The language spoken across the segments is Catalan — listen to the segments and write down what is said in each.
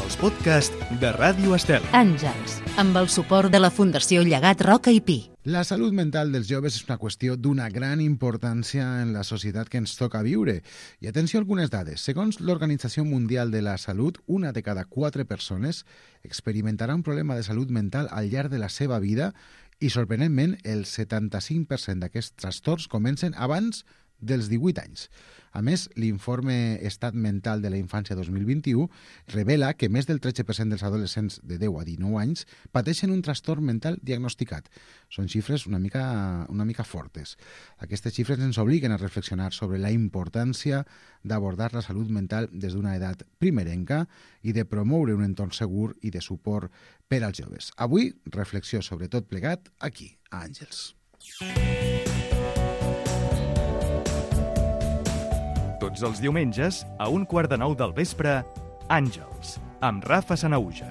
els podcasts de Ràdio Estel. Àngels, amb el suport de la Fundació Llegat Roca i Pi. La salut mental dels joves és una qüestió d'una gran importància en la societat que ens toca viure. I atenció a algunes dades. Segons l'Organització Mundial de la Salut, una de cada 4 persones experimentarà un problema de salut mental al llarg de la seva vida i, sorprenentment, el 75% d'aquests trastorns comencen abans dels 18 anys. A més, l'informe Estat Mental de la Infància 2021 revela que més del 13% dels adolescents de 10 a 19 anys pateixen un trastorn mental diagnosticat. Són xifres una mica fortes. Aquestes xifres ens obliguen a reflexionar sobre la importància d'abordar la salut mental des d'una edat primerenca i de promoure un entorn segur i de suport per als joves. Avui, reflexió sobre tot plegat aquí, a Àngels. Tots els diumenges, a 8:45 del vespre, Àngels, amb Rafa Sanahuja.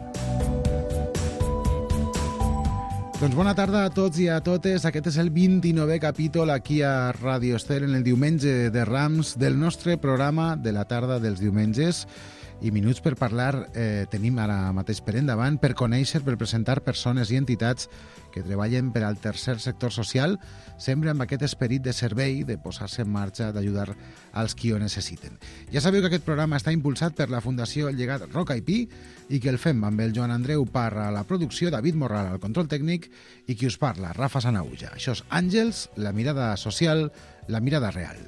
Doncs bona tarda a tots i a totes. Aquest és el 29è capítol aquí a Ràdio Estel en el diumenge de Rams del nostre programa de la tarda dels diumenges. I minuts per parlar tenim ara mateix per endavant, per conèixer, per presentar persones i entitats que treballen per al tercer sector social, sempre amb aquest esperit de servei, de posar-se en marxa, d'ajudar als qui ho necessiten. Ja sabeu que aquest programa està impulsat per la Fundació Llegat Roca i Pi i que el fem amb el Joan Andreu Parra a la producció, David Morral al control tècnic i qui us parla, Rafa Sanahuja. Això és Àngels, la mirada social, la mirada real.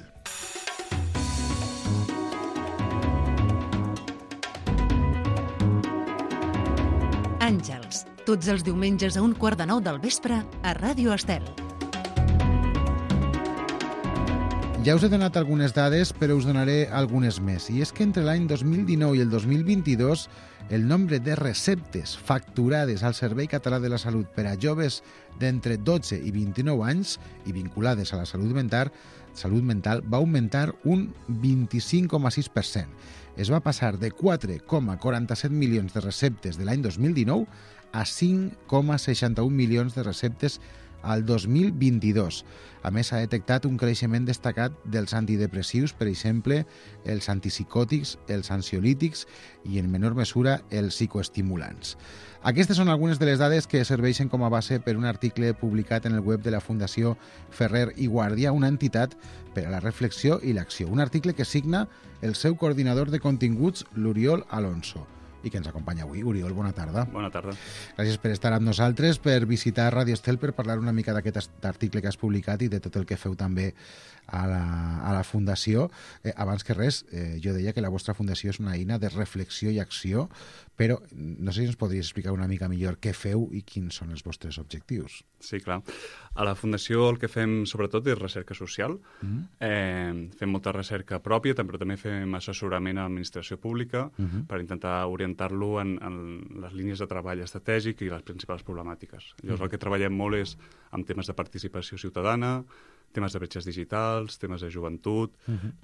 Àngels, tots els diumenges a 8:45 del vespre a Ràdio Estel. Ja us he donat algunes dades, però us donaré algunes més. I és que entre l'any 2019 i el 2022 el nombre de receptes facturades al Servei Català de la Salut per a joves d'entre 12 i 29 anys i vinculades a la salut mental va augmentar un 25,6%. Es va passar de 4,47 milions de receptes de l'any 2019 a 5,61 milions de receptes al 2022. A més, s'ha detectat un creixement destacat dels antidepressius, per exemple, els antipsicòtics, els ansiolítics i, en menor mesura, els psicoestimulants. Aquestes són algunes de les dades que serveixen com a base per un article publicat en el web de la Fundació Ferrer i Guàrdia, una entitat per a la reflexió i l'acció. Un article que signa el seu coordinador de continguts, l'Oriol Alonso, i que ens acompanya avui. Oriol, bona tarda. Bona tarda. Gràcies per estar amb nosaltres, per visitar Ràdio Estel, per parlar una mica d'aquest article que has publicat i de tot el que feu també a la Fundació. Abans que res, jo deia que la vostra Fundació és una eina de reflexió i acció, però no sé si ens podries explicar una mica millor què feu i quins són els vostres objectius. Sí, clar. A la Fundació el que fem sobretot és recerca social. Fem molta recerca pròpia, però també fem assessorament a l'administració pública per intentar orientar-lo en les línies de treball estratègic i les principals problemàtiques. Llavors el que treballem molt és amb temes de participació ciutadana, temes de bretxes digitals, temes de joventut,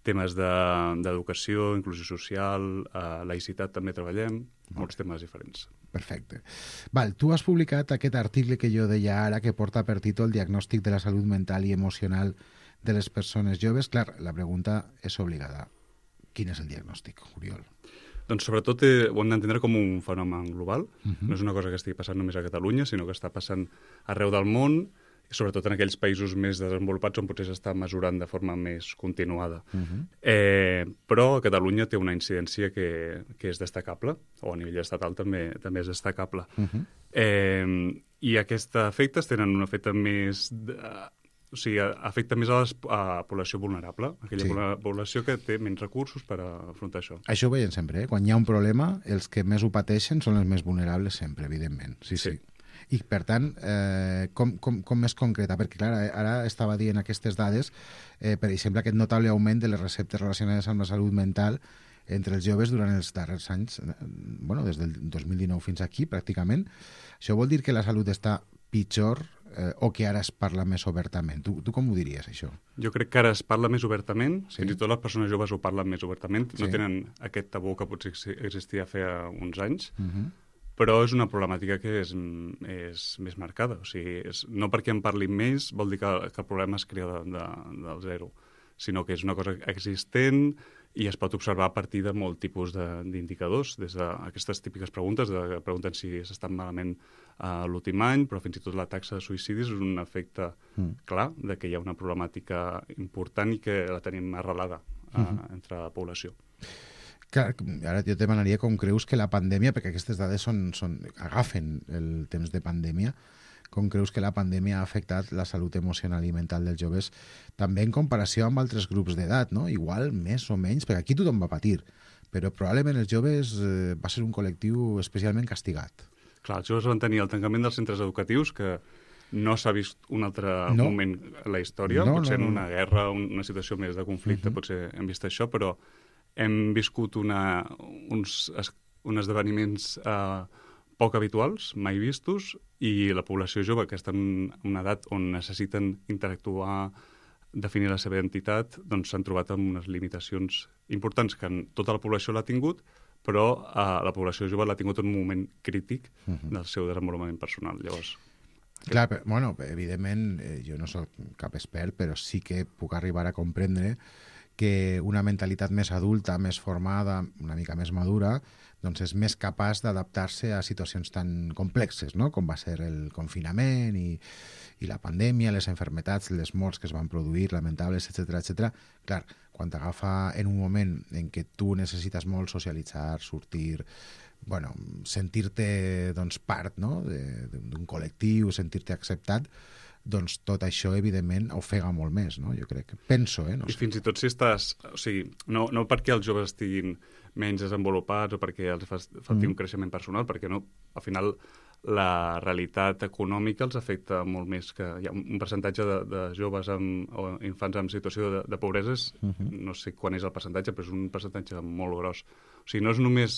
temes d'educació, inclusió social, laïcitat també treballem, molts temes diferents. Perfecte. Val, tu has publicat aquest article que jo deia ara, que porta per títol Diagnòstic de la salut mental i emocional de les persones joves. Clar, la pregunta és obligada. Quin és el diagnòstic, Oriol? Doncs sobretot ho hem d'entendre com un fenomen global. No és una cosa que estigui passant només a Catalunya, sinó que està passant arreu del món, sobretot en aquells països més desenvolupats on potser s'està mesurant de forma més continuada. Però a Catalunya té una incidència que és destacable, o a nivell estatal també és destacable. I aquests efectes tenen un efecte més... O sigui, afecta més a la població vulnerable, aquella població que té menys recursos per afrontar això. Això ho veiem sempre, Quan hi ha un problema, els que més ho pateixen són els més vulnerables sempre, evidentment. Sí. I, per tant, com més concreta? Perquè, clar, ara estava dient aquestes dades, per exemple, aquest notable augment de les receptes relacionades amb la salut mental entre els joves durant els darrers anys, des del 2019 fins aquí, pràcticament. Això vol dir que la salut està pitjor o que ara es parla més obertament? Tu com ho diries, això? Jo crec que ara es parla més obertament, fins i tot les persones joves ho parlen més obertament, no tenen aquest tabú que potser existia fa uns anys, però és una problemàtica que és més marcada. O sigui, no perquè en parlin més vol dir que el problema es crea del zero, sinó que és una cosa existent i es pot observar a partir de molt tipus d'indicadors, des d'aquestes típiques preguntes, que pregunten si s'estan malament l'últim any, però fins i tot la taxa de suïcidis és un efecte clar de que hi ha una problemàtica important i que la tenim arrelada entre la població. Clar, ara jo et demanaria com creus que la pandèmia, perquè aquestes dades agafen el temps de pandèmia, com creus que la pandèmia ha afectat la salut emocional i mental dels joves, també en comparació amb altres grups d'edat, no? Igual, més o menys, perquè aquí tothom va patir, però probablement els joves va ser un col·lectiu especialment castigat. Clar, els joves van tenir el tancament dels centres educatius, que no s'ha vist un altre moment a la història, potser en una guerra, una situació més de conflicte, potser hem vist això, però hem viscut uns esdeveniments poc habituals, mai vistos, i la població jove, que està en una edat on necessiten interactuar, definir la seva identitat, doncs s'han trobat amb unes limitacions importants que tota la població l'ha tingut, però la població jove l'ha tingut en un moment crític del seu desenvolupament personal. Llavors, clar, bueno, evidentment, jo no soc cap expert, però sí que puc arribar a comprendre que una mentalitat més adulta, més formada, una mica més madura, doncs és més capaç d'adaptar-se a situacions tan complexes, no? Com va ser el confinament i la pandèmia, les malalties, les morts que es van produir, lamentables, etc. Clar, quan t'agafa en un moment en què tu necessites molt socialitzar, sortir, bueno, sentir-te doncs, part, no? d'un col·lectiu, sentir-te acceptat, doncs tot això, evidentment, ofega molt més, no? Jo crec. Penso, no sé. I fins i tot si estàs... O sigui, no perquè els joves estiguin menys desenvolupats o perquè els falti un creixement personal, perquè no, al final la realitat econòmica els afecta molt més, que hi ha un percentatge de joves o infants en situació de pobresa, no sé quan és el percentatge, però és un percentatge molt gros. O sigui, no és només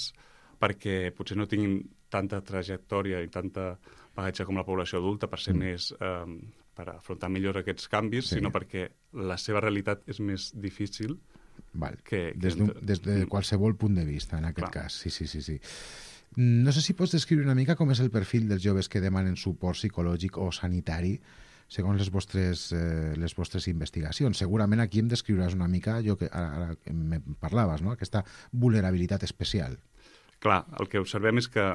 perquè potser no tinguin tanta trajectòria i tanta bagatge com la població adulta per ser més... per afrontar millor aquests canvis, sinó perquè la seva realitat és més difícil. Des de qualsevol punt de vista, en aquest cas. Sí. No sé si pots descriure una mica com és el perfil dels joves que demanen suport psicològic o sanitari segons les vostres investigacions. Segurament aquí em descriuràs una mica allò que ara me parlaves, no? Aquesta vulnerabilitat especial. Clar, el que observem és que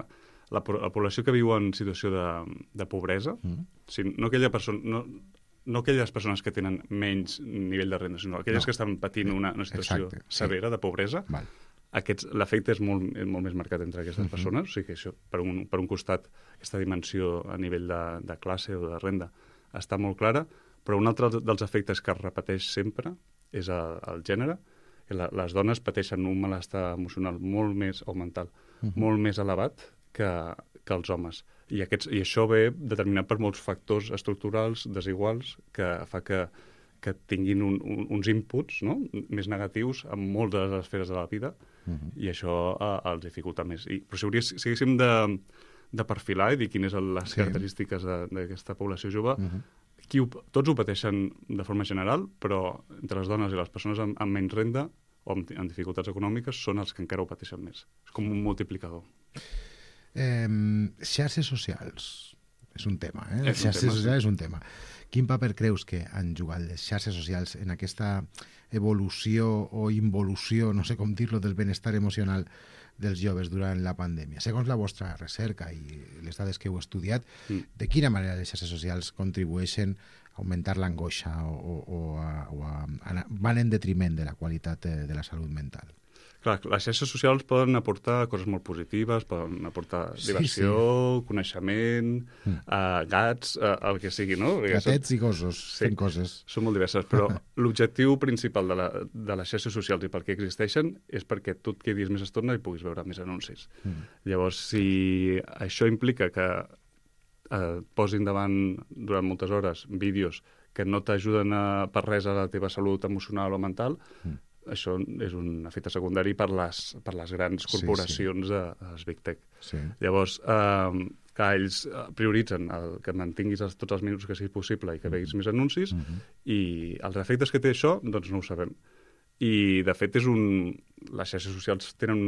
la població que viu en situació de pobresa, no aquelles persones que tenen menys nivell de renda, sinó aquelles que estan patint una situació severa de pobresa, l'efecte és molt més marcat entre aquestes persones, o sigui que això, per un costat, aquesta dimensió a nivell de classe o de renda està molt clara, però un altre dels efectes que es repeteix sempre és el gènere. Les dones pateixen un malestar emocional molt més, o mental, molt més elevat que els homes. I això ve determinat per molts factors estructurals desiguals que fa que tinguin uns inputs, no? Més negatius en moltes de les esferes de la vida, i això els dificulta més. Però si haguéssim de perfilar i dir quines són les característiques d'aquesta població jove, tots ho pateixen de forma general, però entre les dones i les persones amb menys renda o amb dificultats econòmiques són els que encara ho pateixen més. És com un multiplicador. Xarxes socials és un tema, xarxes socials és un tema. Quin paper creus que han jugat les xarxes socials en aquesta evolució o involució, no sé com dir-lo, del benestar emocional dels joves durant la pandèmia? Segons la vostra recerca i les dades que heu estudiat, de quina manera les xarxes socials contribueixen a augmentar l'angoixa o van en detriment de la qualitat de la salut mental? Clar, les xarxes socials poden aportar coses molt positives, poden aportar diversió, coneixement, gats, el que sigui, no? Gatets i gossos, fent coses. Són molt diverses, però l'objectiu principal de les xarxes socials i per què existeixen és perquè tu et quedis més estona i puguis veure més anuncis. Llavors, si això implica que posin davant durant moltes hores vídeos que no t'ajuden per res a la teva salut emocional o mental, això és un efecte secundari per les grans corporacions de les Big Tech. Llavors, que ells prioritzen que mantinguis tots els minuts que sigui possible i que veguis més anuncis, i els efectes que té això, doncs no ho sabem. I, de fet, les xarxes socials tenen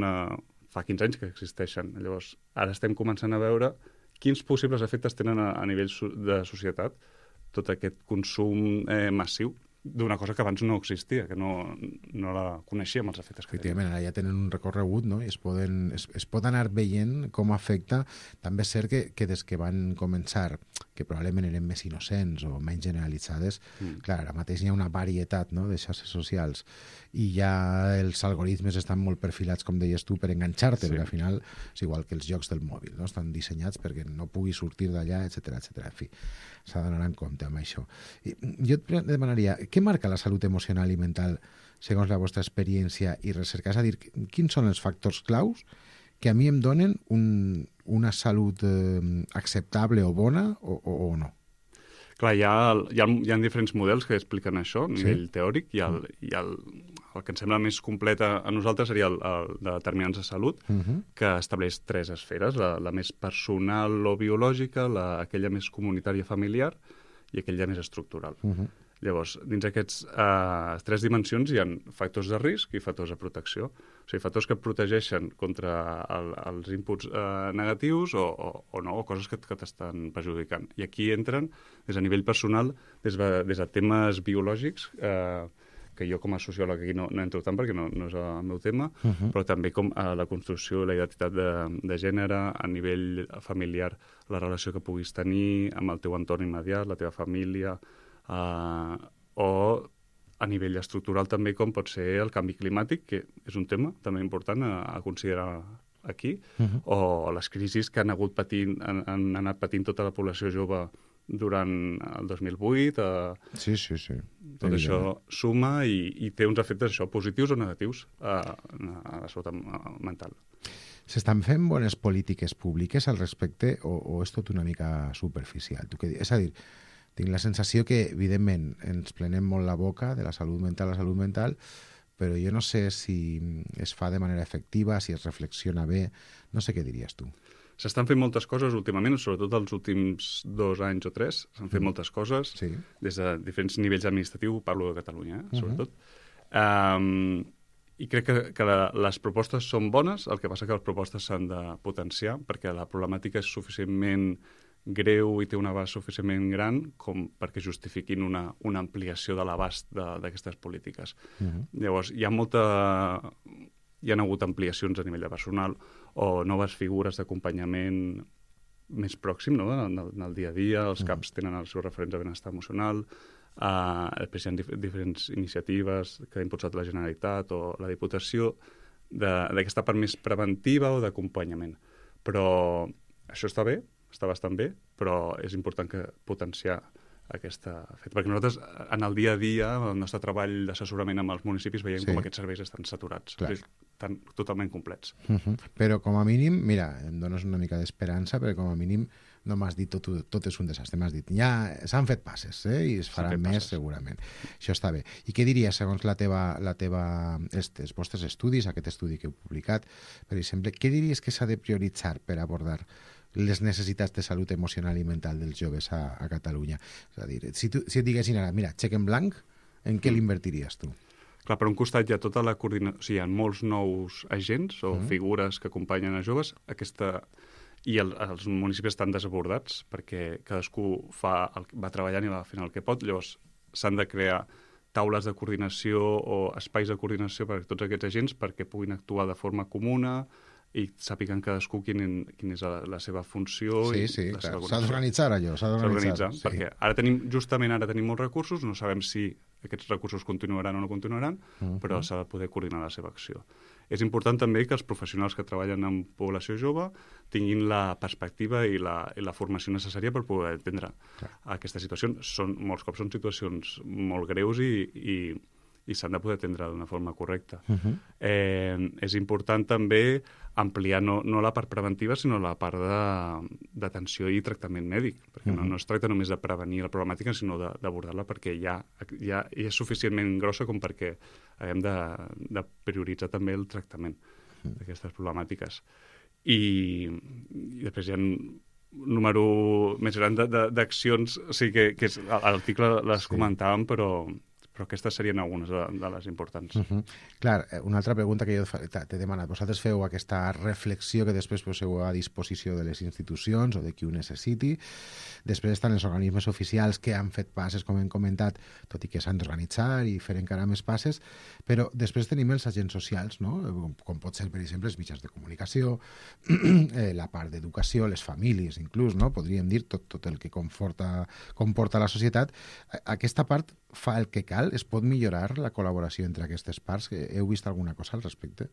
fa 15 anys que existeixen. Llavors, ara estem començant a veure quins possibles efectes tenen a nivell de societat tot aquest consum massiu d'una cosa que abans no existia, que no la coneixíem, els efectes que tenen. Efectivament, ara ja tenen un recorregut, no? I es pot anar veient com afecta. També és cert que des que van començar, que probablement eren més innocents o menys generalitzades, clar, ara mateix hi ha una varietat, no?, de xarxes socials i ja els algoritmes estan molt perfilats, com deies tu, per enganxar-te, perquè al final és igual que els jocs del mòbil, no? Estan dissenyats perquè no pugui sortir d'allà, etc. En fi, s'ha d'anar en compte amb això. I jo et demanaria, què marca la salut emocional i mental segons la vostra experiència i recerca? És a dir, quins són els factors claus que a mi em donen una salut acceptable o bona o no? Clar, hi ha diferents models que expliquen això a nivell teòric, i el que ens sembla més complet a nosaltres seria el de determinants de salut, que estableix 3 esferes, la més personal o biològica, aquella més comunitària familiar i aquella més estructural. Llavors, dins d'aquests 3 dimensions hi ha factors de risc i factors de protecció. O sigui, factors que et protegeixen contra els inputs negatius o no, o coses que t'estan perjudicant. I aquí entren, des a nivell personal, des de temes biològics, que jo com a sociòleg aquí no entro tant perquè no és el meu tema, però també com la construcció i la identitat de gènere, a nivell familiar, la relació que puguis tenir amb el teu entorn immediat, la teva família, o a nivell estructural també com pot ser el canvi climàtic, que és un tema també important a considerar aquí, o les crisis que han anat patint tota la població jove durant el 2008. Sí. Tot això suma i té uns efectes positius o negatius a la salut mental. S'estan fent bones polítiques públiques al respecte o és tot una mica superficial? És a dir, tinc la sensació que, evidentment, ens plenem molt la boca de la salut mental, però jo no sé si es fa de manera efectiva, si es reflexiona bé. No sé què diries tu. S'estan fent moltes coses últimament, sobretot els últims 2 anys o 3. S'han fet moltes coses, des de diferents nivells administratius, parlo de Catalunya, sobretot. I crec que les propostes són bones, el que passa que les propostes s'han de potenciar, perquè la problemàtica és suficientment greu i té un abast suficientment gran com perquè justifiquin una ampliació de l'abast d'aquestes polítiques. Llavors, hi han hagut ampliacions a nivell de personal o noves figures d'acompanyament més pròxim, no?, en el dia a dia. Els CAPs tenen els seus referents de benestar emocional, després hi ha diferents iniciatives que ha impulsat la Generalitat o la Diputació d'aquesta part més preventiva o d'acompanyament. Però això està bé, està bastant bé, però és important potenciar aquesta feta. Perquè nosaltres, en el dia a dia, el nostre treball d'assessorament amb els municipis, veiem com aquests serveis estan saturats, estan totalment complets. Però com a mínim, mira, em dones una mica d'esperança, perquè com a mínim no m'has dit tot és un desastre, m'has dit ja s'han fet passes, i es faran més segurament. Això està bé. I què diries, segons els vostres estudis, aquest estudi que heu publicat, per exemple, què diries que s'ha de prioritzar per abordar les necessitats de salut emocional i mental dels joves a Catalunya? És a dir, si et diguessin ara, mira, xec en blanc, en què l'invertiries tu? Clar, per un costat hi ha tota la coordinació, o sigui, hi ha molts nous agents o figures que acompanyen a joves, i els municipis estan desbordats perquè cadascú va treballant i va fent el que pot. Llavors s'han de crear taules de coordinació o espais de coordinació per a tots aquests agents perquè puguin actuar de forma comuna i sàpiguen cadascú quin és la seva funció. Sí, clar. S'ha d'organitzar allò, s'ha d'organitzar. Perquè justament ara tenim molts recursos, no sabem si aquests recursos continuaran o no continuaran, però s'ha de poder coordinar la seva acció. És important també que els professionals que treballen amb població jove tinguin la perspectiva i la formació necessària per poder entendre aquesta situació. Molts cops són situacions molt greus i s'han de poder atendre d'una forma correcta. És important també ampliar no la part preventiva, sinó la part d'atenció i tractament mèdic, perquè no es tracta només de prevenir la problemàtica, sinó d'abordar-la perquè ja és suficientment grossa com perquè haguem de prioritzar també el tractament d'aquestes problemàtiques. I després hi ha un número més gran d'accions, o sigui que a l'article les comentàvem, però però aquestes serien algunes de les importants. Clar, una altra pregunta que jo t'he demanat. Vosaltres feu aquesta reflexió que després poseu a disposició de les institucions o de qui ho necessiti. Després estan els organismes oficials que han fet passes, com hem comentat, tot i que s'han d'organitzar i fer encara més passes, però després tenim els agents socials, no? Com pot ser, per exemple, els mitjans de comunicació, la part d'educació, les famílies, inclús, no? Podríem dir tot el que comporta la societat. Aquesta part fa el que cal? Es pot millorar la col·laboració entre aquestes parts? Heu vist alguna cosa al respecte?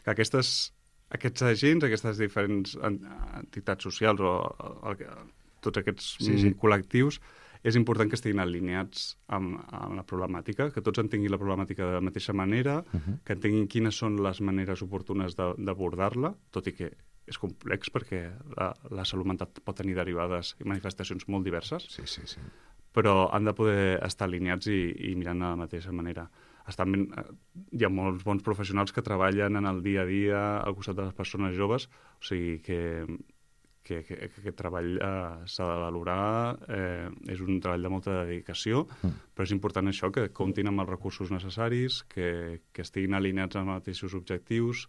Que aquests agents, aquestes diferents entitats socials o tots aquests col·lectius, és important que estiguin alineats amb la problemàtica, que tots entenguin la problemàtica de la mateixa manera, que entenguin quines són les maneres oportunes d'abordar-la, tot i que és complex perquè la salut mental pot tenir derivades i manifestacions molt diverses, però han de poder estar alineats i mirant de la mateixa manera. Hi ha molts bons professionals que treballen en el dia a dia al costat de les persones joves, o sigui que aquest treball s'ha de valorar, és un treball de molta dedicació, però és important això, que comptin amb els recursos necessaris, que estiguin alineats amb els mateixos objectius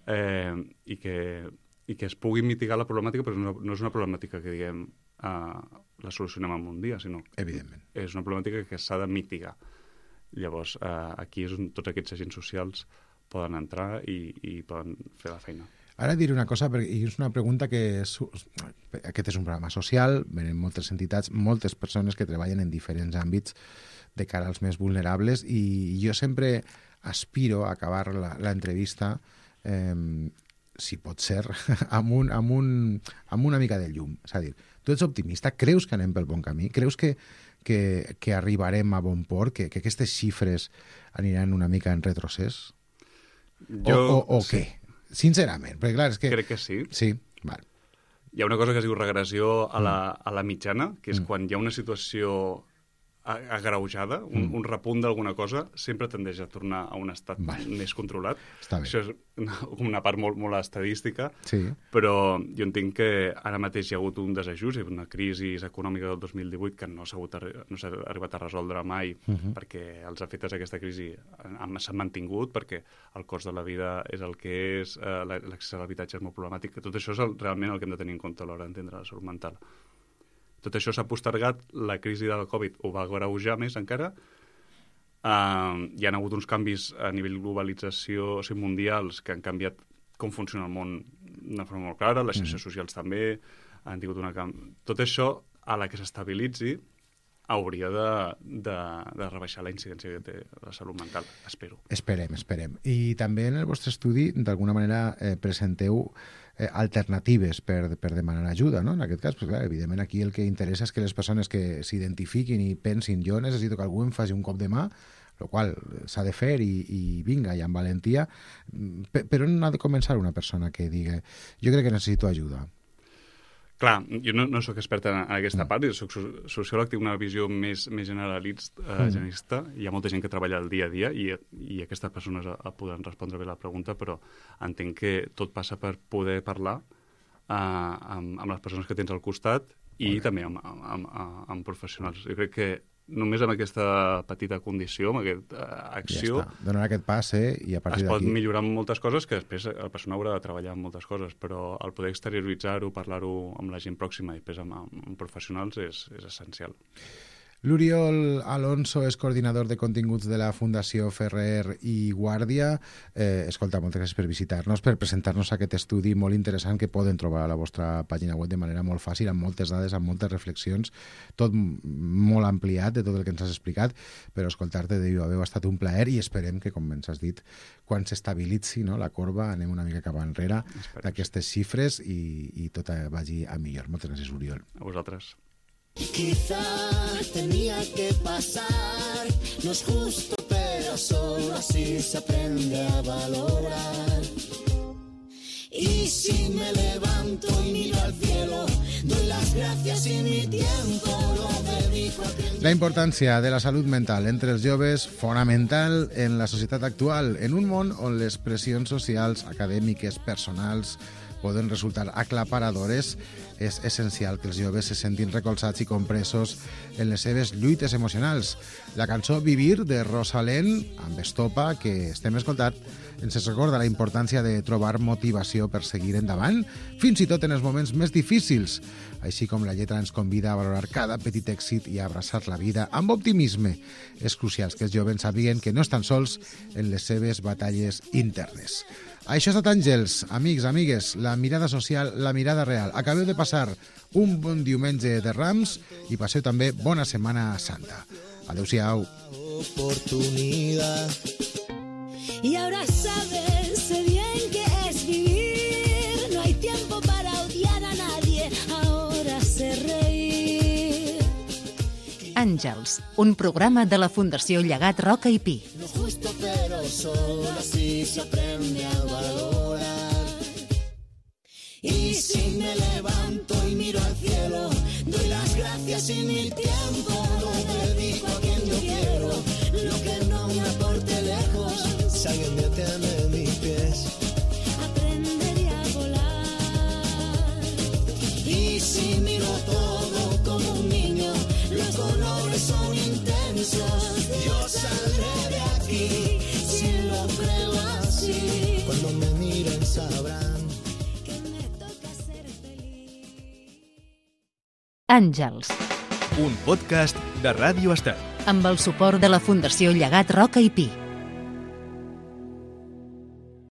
i que es pugui mitigar la problemàtica, però no és una problemàtica que diguem la solucionem en un dia, sinó evidentment és una problemàtica que s'ha de mitigar. Llavors, aquí és on tots aquests agents socials poden entrar i poden fer la feina. Ara diré una cosa, i és una pregunta aquest és un programa social, venen moltes entitats, moltes persones que treballen en diferents àmbits de cara als més vulnerables, i jo sempre aspiro a acabar l'entrevista, si pot ser, amb una mica de llum. És a dir, tu ets optimista? Creus que anem pel bon camí? Creus que arribarem a bon port? Que aquestes xifres aniran una mica en retrocés? O què? Sincerament, perquè clar, és que... Crec que sí. Sí, val. Hi ha una cosa que es diu regressió a la mitjana, que és quan hi ha una situació agreujada, un repunt d'alguna cosa, sempre tendeix a tornar a un estat més controlat. Està bé. Això és una part molt estadística, però jo entenc que ara mateix hi ha hagut un desajust, una crisi econòmica del 2018 que no s'ha arribat a resoldre mai, perquè els efectes d'aquesta crisi s'han mantingut, perquè el cost de la vida és el que és, l'accés a l'habitatge és molt problemàtic, que tot això és realment el que hem de tenir en compte a l'hora d'entendre la salut mental. Tot això s'ha postergat, la crisi de la Covid ho va agreujar més encara, hi ha hagut uns canvis a nivell globalització mundials que han canviat com funciona el món d'una forma molt clara, les xarxes socials també han tingut Tot això, a la que s'estabilitzi, hauria de rebaixar la incidència que té la salut mental, espero. Esperem. I també en el vostre estudi, d'alguna manera, presenteu alternatives per demanar ajuda, no? En aquest cas, clar, evidentment, aquí el que interessa és que les persones que s'identifiquin i pensin jo necessito que algú em faci un cop de mà, el qual s'ha de fer i vinga, i amb valentia, però on ha de començar una persona que digui jo crec que necessito ajuda? Clar, jo no soc expert en aquesta part, jo soc sociòleg, tinc una visió més generalista, hi ha molta gent que treballa el dia a dia i aquestes persones poden respondre bé la pregunta, però entenc que tot passa per poder parlar amb les persones que tens al costat i també amb professionals. Jo crec que només amb aquesta petita condició, amb aquesta acció... Ja està. Donar aquest pas, i a partir d'aquí... Es pot millorar moltes coses, que després la persona haurà de treballar en moltes coses, però el poder exterioritzar-ho, parlar-ho amb la gent pròxima i després amb professionals és essencial. L'Oriol Alonso és coordinador de continguts de la Fundació Ferrer i Guàrdia. Escolta, moltes gràcies per visitar-nos, per presentar-nos aquest estudi molt interessant que poden trobar a la vostra pàgina web de manera molt fàcil, amb moltes dades, amb moltes reflexions, tot molt ampliat de tot el que ens has explicat, però escoltar-te de viva veu ha estat un plaer i esperem que, com ens has dit, quan s'estabilitzi la corba anem una mica cap enrere d'aquestes xifres i tot vagi a millor. Moltes gràcies, Oriol. A vosaltres. Quizá tenía que pasar, no es justo, pero solo así se aprende a valorar. Y si me levanto levanto y miro al cielo, doy las gracias y mi tiempo lo dedico a quien... La importància de la salut mental entre els joves fonamental en la societat actual, en un món on les pressions socials, acadèmiques, personals poden resultar aclaparadores, és essencial que els joves se sentin recolzats i compresos en les seves lluites emocionals. La cançó Vivir de Rosalén, amb estopa, que estem escoltant, ens recorda la importància de trobar motivació per seguir endavant, fins i tot en els moments més difícils, així com la lletra ens convida a valorar cada petit èxit i a abraçar la vida amb optimisme. És crucial que els joves sàpiguen que no estan sols en les seves batalles internes. Això ha estat Àngels, amics, amigues, la mirada social, la mirada real. Acabeu de passar un bon diumenge de Rams i passeu també bona Setmana Santa. Adéu-siau. Y ahora sabes, sé bien que es vivir. No hay tiempo para odiar a nadie, ahora sé reír. Àngels, un programa de la Fundació Llegat Roca i Pi. Lo justo pero solo así se aprende a valorar. Y si me levanto y miro al cielo, doy las gracias y mi tiempo lo dedico a quien yo quiero. Lo que no me aporte lejos, si alguien detiene mis pies, aprendería a volar. Y si miro todo como un niño, los colores son intensos. Yo saldré de aquí, si lo creo así. Cuando me miren sabrán que me toca ser feliz. Àngels, Un podcast de Ràdio Estat. amb el suport de la Fundació Llegat Roca i Pi.